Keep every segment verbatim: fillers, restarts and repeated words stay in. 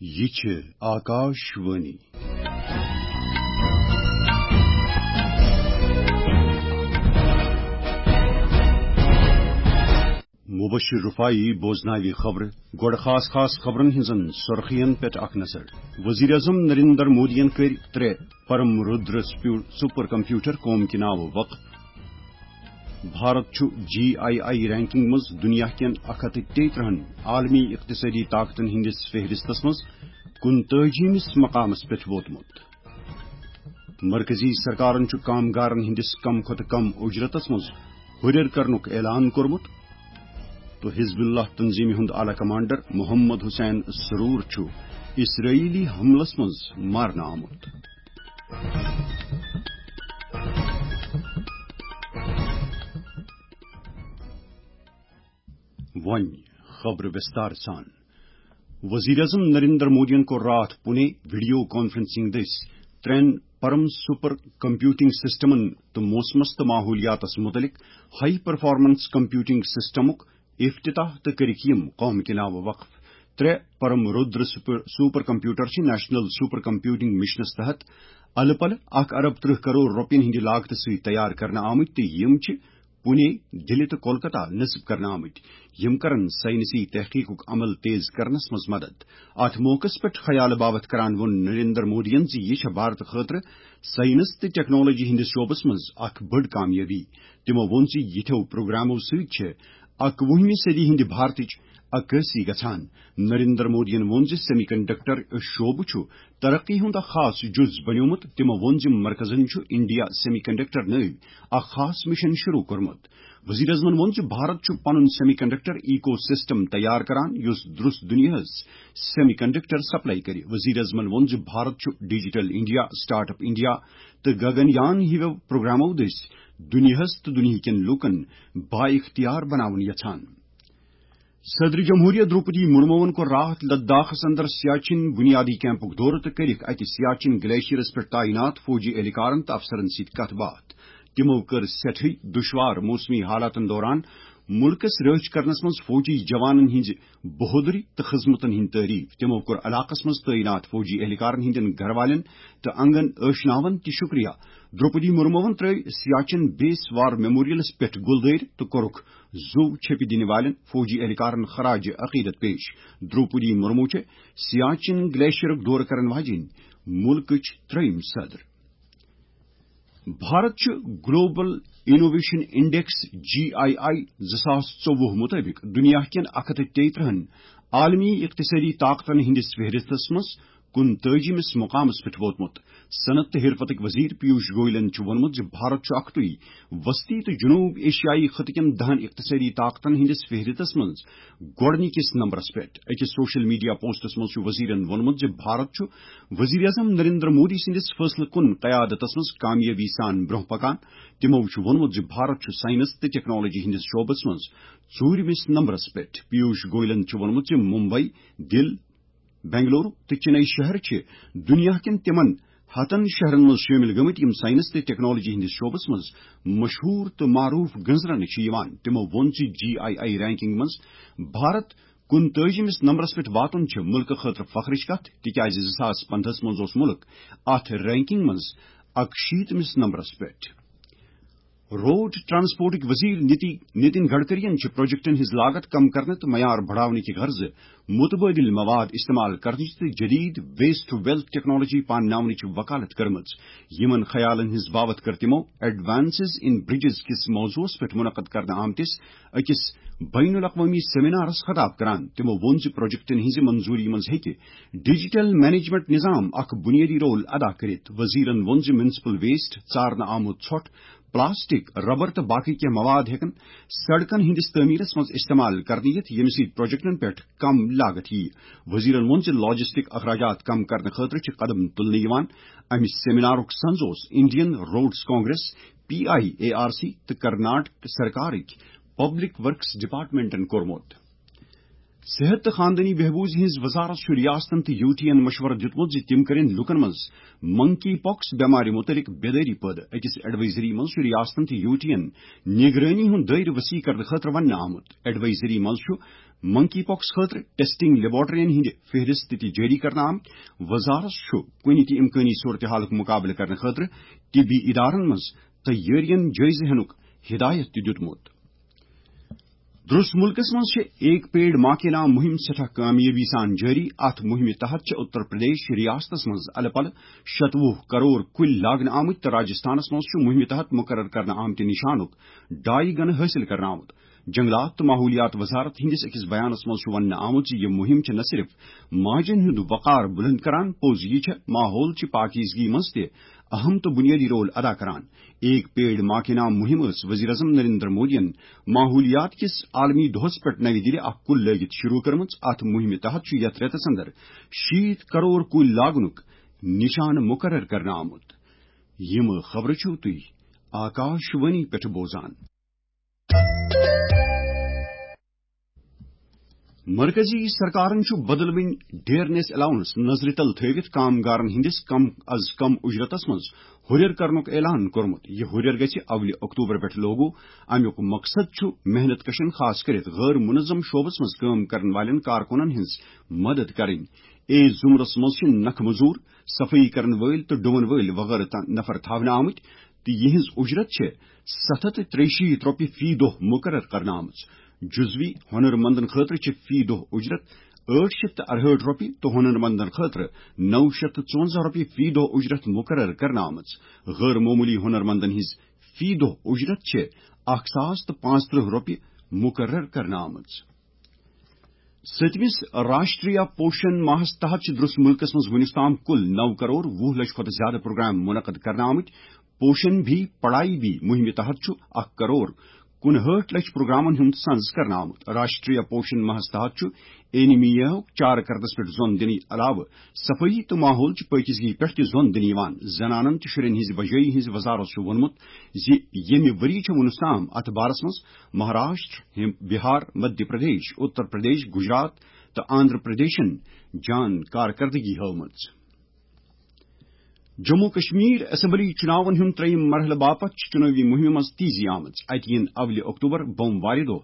یہِ چھِ آکاش وانی۔ مبشر رفاعی بوزناوِ خبرٕ۔ گۄڈٕ خاص خاص خبرن ہٕنٛزن سُرخین پٮ۪ٹھ اکھ نظر۔ وزیر اعظم نریندر مودیَن کٔرۍ ترٛےٚ پرم رودر سپیو-، سپر کمپیوٹر قوم کہِ ناوٕ وقف۔ بھارت چھُ جی آئی آئی رینکنگ منٛز دنیا کٮ۪ن اکھ ہتھ تہٕ تیٚیہِ ترٕٛہن عالمی اقتصٲدی طاقتن ہٕنٛدِس فہرستس منٛز کُنتٲجیمِس مقامس پٮ۪ٹھ ووتمُت۔ مرکزی سرکارن چھُ کامگارن ہٕنٛدِس کم کھۄتہٕ کم اجرتس منٛز ہُرٮ۪ر کرنُک اعلان کوٚرمُت۔ تہٕ حزب اللہ تنظیمہِ ہُنٛد اعلی کمانڈر محمد حسین سرور چھُ اسرائیلی حملس منٛز مارنہٕ آمُت۔ وۄنۍ خبرٕ وِستار سان۔ وزیر اعظم نریندر مودیَن کوٚر راتھ پونے ویڈیو کانفرنسنگ دٔسۍ ترٛٮ۪ن پرم سپر کمپیوٹنگ سسٹمن تہٕ موسمس تہٕ ماحولیاتس متعلق ہائی پرفارمنس کمپیوٹنگ سسٹمُک افتتاح تہٕ کٔرِکھ یِم قوم کہِ ناوٕ وقف۔ ترٛےٚ پرم رودر سپر، سپر کمپیوٹر چھِ نیشنل سپر کمپیوٹنگ مشنس تحت الہٕ پلہٕ اکھ ارب ترٕٛہ کرور رۄپین ہٕنٛدِ لاگتہٕ سۭتۍ تیار کرنہٕ آمٕتۍ تہٕ یِم چھِ پونے، دِلہِ تہٕ کولکتہ نصب کرنہٕ آمٕتۍ۔ یِم کرن ساینسی تحقیقُک عمل تیز کرنس منٛز مدد۔ اتھ موقعس پٮ۪ٹھ خیال باوتھ کران ووٚن نریندر مودیَن زِ یہِ چھےٚ بھارت خٲطرٕ ساینس تہٕ ٹیکنالوجی ہٕنٛدِس شعبس منٛز اکھ بٔڑ کامیٲبی۔ تِمو ووٚن زِ یِتھیو پروگرامو سۭتۍ چھِ اکوُہمہِ صدی ہٕنٛدِ بھارتٕچ عکٲسی گژھان۔ نریندر مودیَن ووٚن زِ سیمی کنڈکٹر شعبہٕ چھُ ترقی ہُنٛد اکھ خاص جُز بنیومُت۔ تِمو ووٚن زِ مرکزن چھُ انڈیا سیمی کنڈکٹر نٲوۍ اکھ خاص مشن شروع کوٚرمُت۔ وزیر اعظمن ووٚن زِ بھارت چھُ پنُن سیمی کنڈکٹر ایکو سسٹم تیار کران، یُس درست دنیاہس سیمی کنڈکٹر سپلائی کرِ۔ وزیر اعظمن ووٚن زِ بھارت چھُ digital India, start up India تہٕ گگن یان ہِویو پروگرامو دٔسۍ دنیاہس تہٕ دنیاہکٮ۪ن لوٗکن با اختیار بناوُن یژھان۔ صدر جمہوریہ دروپدی مرموَن کوٚر راتھ لداخس اندر سیاچن بنیادی کیمپُک دورٕ تہٕ کٔرِکھ اتہِ سیاچن گلیشیئرس پٮ۪ٹھ تعینات فوجی اہلکارن تہٕ افسرن سۭتۍ کتھ باتھ۔ تِمو کٔر سٮ۪ٹھٕے دُشوار موسمی حالاتن دوران مُلکس رٲچھ کرنس منٛز فوجی جوانن ہٕنٛزِ بہادری تہٕ خدمتن ہٕنٛز تعریف۔ تِمو کوٚر علاقس منٛز تعینات فوجی اہلکارن ہٕنٛدٮ۪ن گھر والٮ۪ن تہٕ انگن ٲشناون تہِ شکریہ۔ دروپدی مرموَن ترٲوۍ سیاچن بیس وار میموریلس پٮ۪ٹھ گُلدٲرۍ تہٕ کوٚرُکھ زُو چھیٚپہِ دِنہٕ والٮ۪ن فوجی اہلکارن خراج عقیدت پیش۔ دروپدی مرمو چھےٚ سیاچن گلیشیئرُک دورٕ کرن واجیٚنۍ مُلکٕچ ترٛیٚیِم صدر۔ بھارت چھُ Global Innovation Index, G I I, زٕ ساس ژوٚوُہ مُطٲبِق دُنیا کٮ۪ن اکھ ہتھ تہٕ تیٚیہِ ترٕٛہن عالمی اقتصٲدی طاقتن ہٕنٛدِس فہرستس منٛز کُنتٲجیمِس مقامس پٮ۪ٹھ ووتمُت۔ صنعت تہٕ حرفتٕکۍ وزیر پیوش گوئلن چھُ ووٚنمُت زِ بھارت چھُ اکھتُے وسطی تہٕ جنوب ایشیائی خطہٕ کٮ۪ن دَہَن اقتصٲدی طاقتن ہٕنٛدِس فہرستس منٛز گۄڈٕنِکِس نمبرس پٮ۪ٹھ۔ أکِس سوشل میڈیا پوسٹس منٛز چھُ وزیرن ووٚنمُت زِ بھارت چھُ وزیر اعظم نریندر مودی سٕنٛدِس فٲصلہٕ کُن قیادتس منٛز کامیٲبی سان برٛونٛہہ پکان۔ تِمو چھُ ووٚنمُت زِ بھارت چھُ ساینس تہٕ ٹیکنالوجی ہٕنٛدِس شعبس منٛز ژوٗرمِس نمبرس پٮ۪ٹھ۔ پیوش گوئلن چھُ ووٚنمُت زِ ممبئی، دِل، بنگلورو تہٕ چنئی شہر چھِ دُنیا کٮ۪ن تِمن ہتن شہرن منٛز شٲمِل گٔمٕتۍ، یِم ساینس تہٕ ٹیکنالوجی ہٕنٛدِس شعبس منٛز مشہوٗر تہٕ معروٗف گٔنزرنہٕ چھِ یِوان۔ تِمو ووٚن زِ جی آئی آئی رینکنگ منٛز بھارت کُنتٲجِمِس نمبرس پٮ۪ٹھ واتُن چھِ مُلکہٕ خٲطرٕ فخرٕچ کتھ، تِکیازِ زٕ ساس پندہس منٛز اوس مُلک اتھ رینکنگ منٛز اکشیٖتمِس نمبرس پٮ۪ٹھ۔ روڈ ٹرانسپورٹٕکۍ وزیر نتی-، نتن گڈکرین چھِ پروجیکٹن ہٕنٛز لاگت کم کرنہٕ تہٕ معیار بڑاونہٕ کہِ غرضہٕ متبادل مواد استعمال کرنٕچ تہٕ جدید ویسٹ ٹو ویلتھ ٹیکنالوجی پانناونٕچ وکالت کٔرمٕژ۔ یِمن خیالن ہٕنٛز باوتھ کٔر تِمو ایڈوانسز ان برجز کِس موضوعس پٮ۪ٹھ منعقد کرنہٕ آمتِس أکِس بین الاقوٲمی سیمینارس خطاب کران۔ تِمو ووٚن زِ پروجیکٹن ہٕنٛزِ منظوٗری منٛز ہیٚکہِ ڈیجیٹل مینجمنٹ نظام اکھ بُنیٲدی رول ادا کٔرِتھ۔ وزیرن ووٚن زِ میونسپل ویسٹ، ژارنہٕ آمُت ژھۄٹھ، پلاسٹک، ربر تہٕ باقی کینٛہہ مواد ہیٚکن سڑکن ہٕنٛدِس تعمیرس منٛز استعمال کرنہٕ یِتھ، ییٚمہِ سۭتۍ پروجیکٹن پٮ۪ٹھ کم لاگت یِیہِ۔ وزیرن ووٚن زِ لاجسٹک اخراجات کم کرنہٕ خٲطرٕ چھِ قدم تُلنہٕ یِوان۔ امہِ سیمینارُک سنز اوس Indian Roads Congress, P I A R C تہٕ کرناٹک سرکارٕکۍ پبلک ورکس ڈپارٹمنٹن کوٚرمُت۔ صحت تہٕ خاندٲنی بہبوٗز ہٕنٛز وزارت چھُ ریاستن تہٕ یوٗٹین مشورٕ دیُتمُت زِ تِم کٔرِن لوٗکن منٛز منکی پاکس بٮ۪مارِ مُتعلق بیدٲری پٲدٕ۔ أکِس ایڈوائزری منٛز چھُ ریاستن تہٕ یوٗٹین نگرٲنی ہُنٛد دٲیرٕ وسیع کرنہٕ خٲطرٕ وننہٕ آمُت۔ ایڈوائزری منٛز چھُ منکی پاکس خٲطرٕ ٹیسٹنگ لیبارٹرین ہٕنٛدِ فہرست تہِ جٲری کرنہٕ آمٕتۍ۔ وزارت چھُ کُنہِ تہِ امکٲنی صورتحالُک مُقابلہٕ کرنہٕ خٲطرٕ طبی ادارن منٛز تیٲرین جٲیزٕ ہینُک ہدایت تہِ دیُتمُت۔ درس ملکس منٛز چھِ ایک پیڑ ماں کے نام مہم سٮ۪ٹھاہ کامیٲبی سان جٲری۔ اتھ مہمہِ تحت چھِ اتر پردیش ریاستس منٛز الہٕ پلہٕ شتوُہ کرور کُلۍ لاگنہٕ آمٕتۍ تہٕ راجستھانس منٛز چھُ مہمہِ تحت مقرر کرنہٕ آمتہِ نشانُک ڈاے گنہٕ حٲصِل کرنہٕ آمُت۔ جنگلات تہٕ ماحولیات وزارت ہٕنٛدِس أکِس بیانس منٛز چھُ وننہٕ آمُت زِ یہِ مہم چھِ نہ صرف ماجن ہُنٛد وقار بلند کران، پوٚز یہِ چھےٚ ماحول چہِ پاکیزگی منٛز تہِ اہم تہٕ بنیٲدی رول ادا کران۔ ایک پیڑ ماں کے نام مہم ٲس وزیر اعظم نریندر مودیَن ماحولیات کِس عالمی دۄہس پٮ۪ٹھ نَوِ دِلہِ اکھ کُل لٲگِتھ شروع کٔرمٕژ۔ اتھ مہمہِ تحت چھُ یتھ رٮ۪تس اندر شیٖتھ کرور کُلۍ لاگنُک نشانہٕ مقرر کرنہٕ آمُت۔ یِم خبرٕ چھِو تُہۍ آکاش وانی پٮ۪ٹھ بوزان۔ مرکزی سرکارن چھُ بدلوٕنۍ ڈیئرنیس الاؤنس نظرِ تل تھٲوِتھ کامگارن ہٕنٛدِس کم از کم اجرتس منٛز ہُرٮ۪ر کرنُک اعلان کوٚرمُت۔ یہِ ہُرٮ۪ر گژھِ اولہِ اکتوبر پٮ۪ٹھ لاگو۔ امیُک مقصد چھُ محنت کشن، خاص کٔرِتھ غٲر منظم شعبس منٛز کٲم کرن والٮ۪ن کارکنن ہٕنٛز مدد کرٕنۍ۔ اے زمرس منٛز چھِ نکھٕ مزور، صفٲیی کرن وٲلۍ تہٕ ڈُون وٲلۍ وغٲرٕ تام نفر تھاونہٕ آمٕتۍ تہٕ یِہنٛز اجرت چھِ ستھ ہتھ تہٕ ترٛیہِ شیٖتھ رۄپیہِ فی دۄہ مقرر کرنہٕ آمٕژ۔ جزوی ہۄنرمندن خٲطرٕ چھِ فی دۄہ اجرت ٲٹھ شیٚتھ تہٕ ارہٲٹھ رۄپیہِ تہٕ ہۄنرمندن خٲطرٕ نو شیٚتھ تہٕ ژُونزاہ رۄپیہِ فی دۄہ اجرت مقرر کرنہٕ آمٕژ۔ غٲر معمولی ہۄنرمندن ہٕنٛز فی دۄہ اجرت چھِ اکھ ساس تہٕ پانٛژترٕٛہ رۄپیہِ مقرر کرنہٕ آمٕژ۔ سٔتمِس راشٹریہ پوشن ماہس تحت چھِ درس ملکس منٛز وُنیُس تام کُل نو کرور وُہ لچھ کھۄتہٕ زیادٕ پروگرام منعقد کرنہٕ آمٕتۍ۔ پوشن بھی پڑھائی بھی مہمہِ تحت چھُ اکھ کرور کُنہٲٹھ لچھ پروگرامن ہُنٛد سنز کرنہٕ آمُت۔ راشٹریہ پوشن ماہس تحت چھُ اینیمیا ہُک چارٕ کردس پٮ۪ٹھ زۄن دِنہٕ علاوٕ صفٲیی تہٕ ماحول چہِ پٲکیزگی پٮ۪ٹھ تہِ زۄن دِنہٕ یِوان۔ زنانن تہٕ شُرٮ۪ن ہٕنٛزِ بجٲیی ہٕنٛزِ وزارت چھُ ووٚنمُت زِ ییٚمہِ ؤری چھُ وُنیُس تام اتھ بارس منٛز مہاراشٹر، ہم-، بہار، مدھیہ پردیش، اتر پردیش، گجرات تہٕ آندھرا پردیشن جان کارکردگی ہٲومٕژ۔ جموں کشمیر اسمبلی چُناون ہُنٛد ترٛیٚیِم مرحلہٕ باپتھ چھِ چُنٲوی مُہِمہِ منٛز تیزی آمٕژ۔ اَتہِ یِن اولہِ اکتوبر بۄموارِ دۄہ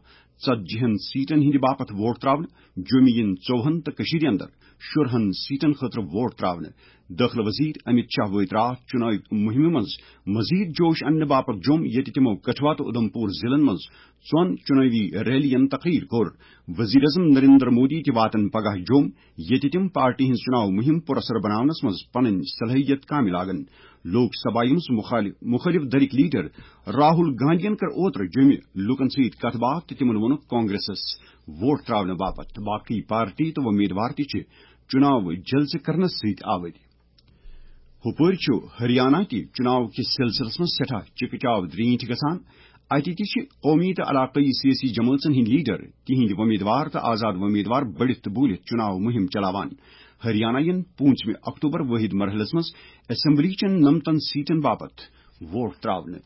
ژتجی ہن سیٹن ہٕنٛدِ باپتھ ووٹ تراونہٕ۔ جوٚمہِ یِن ژوٚوُہن تہٕ کٔشیٖرِ اندر شُرہن سیٹن خٲطرٕ ووٹ تراونہٕ۔ دٲخلہٕ وزیر امت شاہ وٲتۍ راتھ چُنٲوی مُہِمہِ منٛز مزید جوش اننہٕ باپتھ جوٚم، ییٚتہِ تِمو کٹھوا تہٕ اُدھمپور ضلعن منٛز ژۄن چُنٲوی ریلین تقریر کوٚر۔ وزیر اعظم نریندر مودی تہِ واتن پگاہ جوٚم، ییٚتہِ تِم پارٹی ہٕنٛز چُناو مُہِم پُر اثر بناونس منٛز پنٕنۍ صلٲحیت کامہِ لاگن۔ لوک سبھایہ منٛز مُخالف، مُخٲلِف دھرٕکۍ لیڈر راہُل گاندھین کٔر اوترٕ جوٚمہِ لوٗکن سۭتۍ کتھ باتھ تہٕ تِمن ووٚنُکھ کانگریسس ووٹ تراونہٕ باپتھ تہٕ باقٕے پارٹی تہٕ وۄمیدوار تہِ چھِ چُناو جلسہٕ کرنس سۭتۍ آوٕرۍ۔ ہُپٲرۍ چھُ ہریانہ تہِ چُناو کِس سلسلس منٛز سٮ۪ٹھاہ چِکہٕ چاو درینٹھۍ گژھان۔ اتہِ تہِ چھِ قومی تہٕ علاقٲیی سیٲسی جمٲژن ہٕنٛدۍ لیڈر، تِہنٛدۍ وۄمیدوار تہٕ آزاد وۄمیدوار بٔڑِتھ تہٕ بوٗلِتھ چُناو مُہِم چلاوان۔ ہریانہ یِن پوٗنٛژمہِ اکتوبر وٲحد مرحلس منٛز اسمبلی چٮ۪ن نمتن سیٹن باپتھ ووٹ تراونہٕ۔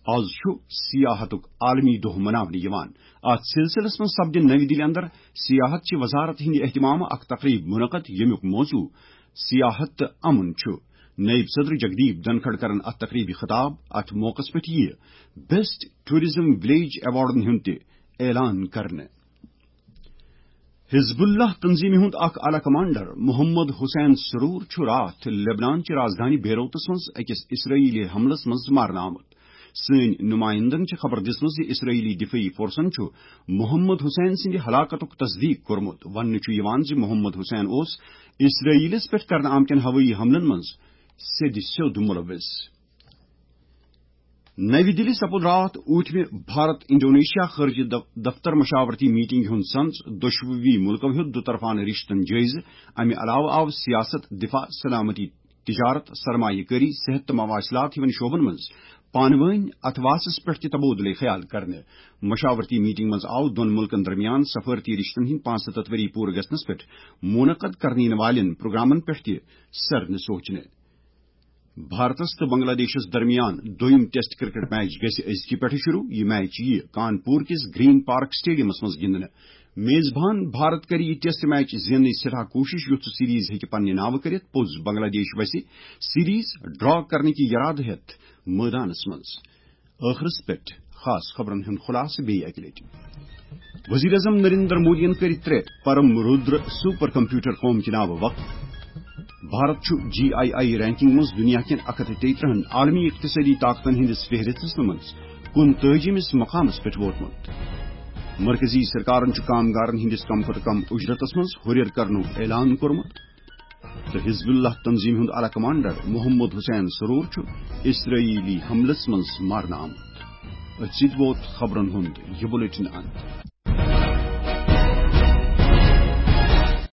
آز چھُ سیاحتُک عالمی دۄہ مناونہٕ یِوان۔ اتھ سلسلس منٛز سپدِ نَوِ دِلہِ اندر سیاحت چہِ وزارت ہٕنٛدِ اہتمامہٕ اکھ تقریب منعقد، ییٚمیُک موضوع سیاحت تہٕ امن چھُ۔ نائب صدر جگدیپ دھنکھڑ کرن اتھ تقریبہِ خطاب۔ اتھ موقعس پٮ۪ٹھ یِیہِ بیسٹ ٹورازم ولیج ایوارڈن ہُنٛد تہِ اعلان کرنہٕ۔ حزب اللہ تنظیمہِ ہُنٛد اکھ اعلی کمانڈر محمد حسین سرور چھُ راتھ لبنان چہِ رازدٲنۍ بیروتس منٛز أکِس اسرائیلی حملس منٛز مارنہٕ آمُت۔ سٲنۍ نمائندن چھِ خبر دِژمٕژ زِ اسرائیلی دفٲعی فورسن چھُ محمد حسین سٕنٛدِ ہلاکتُک تصدیق کوٚرمُت۔ وننہٕ چھُ یِوان زِ محمد حسین اوس اسرائیلس پٮ۪ٹھ کرنہٕ آمتٮ۪ن ہوٲیی حملن منٛز سیٚدِ سیوٚد مُلوث۔ نَوِ دِلہِ سپُد راتھ ٲٹھمہِ بھارت انڈونیشیا خارجہ دف-، دفتر مشاورتی میٹنگ ہُنٛد سنز۔ دۄشوٕنی مُلکو ہیوٚت دُطرفانہٕ رشتن جٲیزٕ۔ امہِ علاوٕ آو سیاست، دفاع، سلامتی، تجارت، سرمایہ کٲری، صحت تہٕ مواصلات ہِوٮ۪ن شعبن منٛز پانہٕ وٲنۍ اتھواسس پٮ۪ٹھ تہِ تبادلہٕ خیال کرنہٕ۔ مشاورتی میٹنگ منٛز آو دۄن مُلکن درمیان سفارتی رشتن ہٕنٛدۍ پانٛژستتھ ؤری پوٗرٕ گژھنس پٮ۪ٹھ منعقد کرنہٕ یِنہٕ والٮ۪ن پروگرامن پٮ۪ٹھ تہِ سرنہٕ سوچنہٕ۔ بھارتس تہٕ بنگلہ دیشس درمیان دوٚیُم ٹیسٹ کرکٹ میچ گژھِ أزکہِ پٮ۪ٹھٕ شروع۔ یہِ میچ یِیہِ کانپور کِس گرین پارک سٹیڈیمس منٛز گِنٛدنہٕ۔ میزبان بھارت کرِ یہِ ٹیسٹ میچ زیننٕچ سٮ۪ٹھاہ کوٗشش، یُتھ سُہ سیریز ہیٚکہِ پننہِ ناوٕ کٔرِتھ۔ پوٚز بنگلہ دیش وسہِ سیریز ڈرا کرنٕکہِ یرادٕ ہٮ۪تھ مٲدانس منٛز۔ ٲخرس پٮ۪ٹھ خاص خبرن ہُنٛد خلاصہٕ بیٚیہِ اکہِ لٹہِ۔ وزیر اعظم نریندر مودیَن کٔرۍ ترٛےٚ پرم رودر سپر کمپیوٹر قوم کہِ ناوٕ وقف۔ بھارت چھُ جی آئی آئی رینکنگ منٛز دنیا کٮ۪ن اکھ ہتھ تہٕ تیٚیہِ ترٕٛہن عالمی اقتصٲدی طاقتن ہٕنٛدِس فہرستس منٛز کُنتٲجِمِس مقامس پٮ۪ٹھ ووتمُت۔ مرکزی سرکارن چھُ کامگارن ہٕنٛدِس کم کھۄتہٕ کم اجرتس منٛز ہُرٮ۪ر کرنُک اعلان کوٚرمُت۔ تہٕ حزب اللہ تنظیمہِ ہُنٛد اعلی کمانڈر محمد حسین سرور چھُ اسرائیلی حملس منٛز مارنہٕ آمُت۔ أتھۍ سۭتۍ ووت خبرن ہُنٛد یہِ بلیٹن انت۔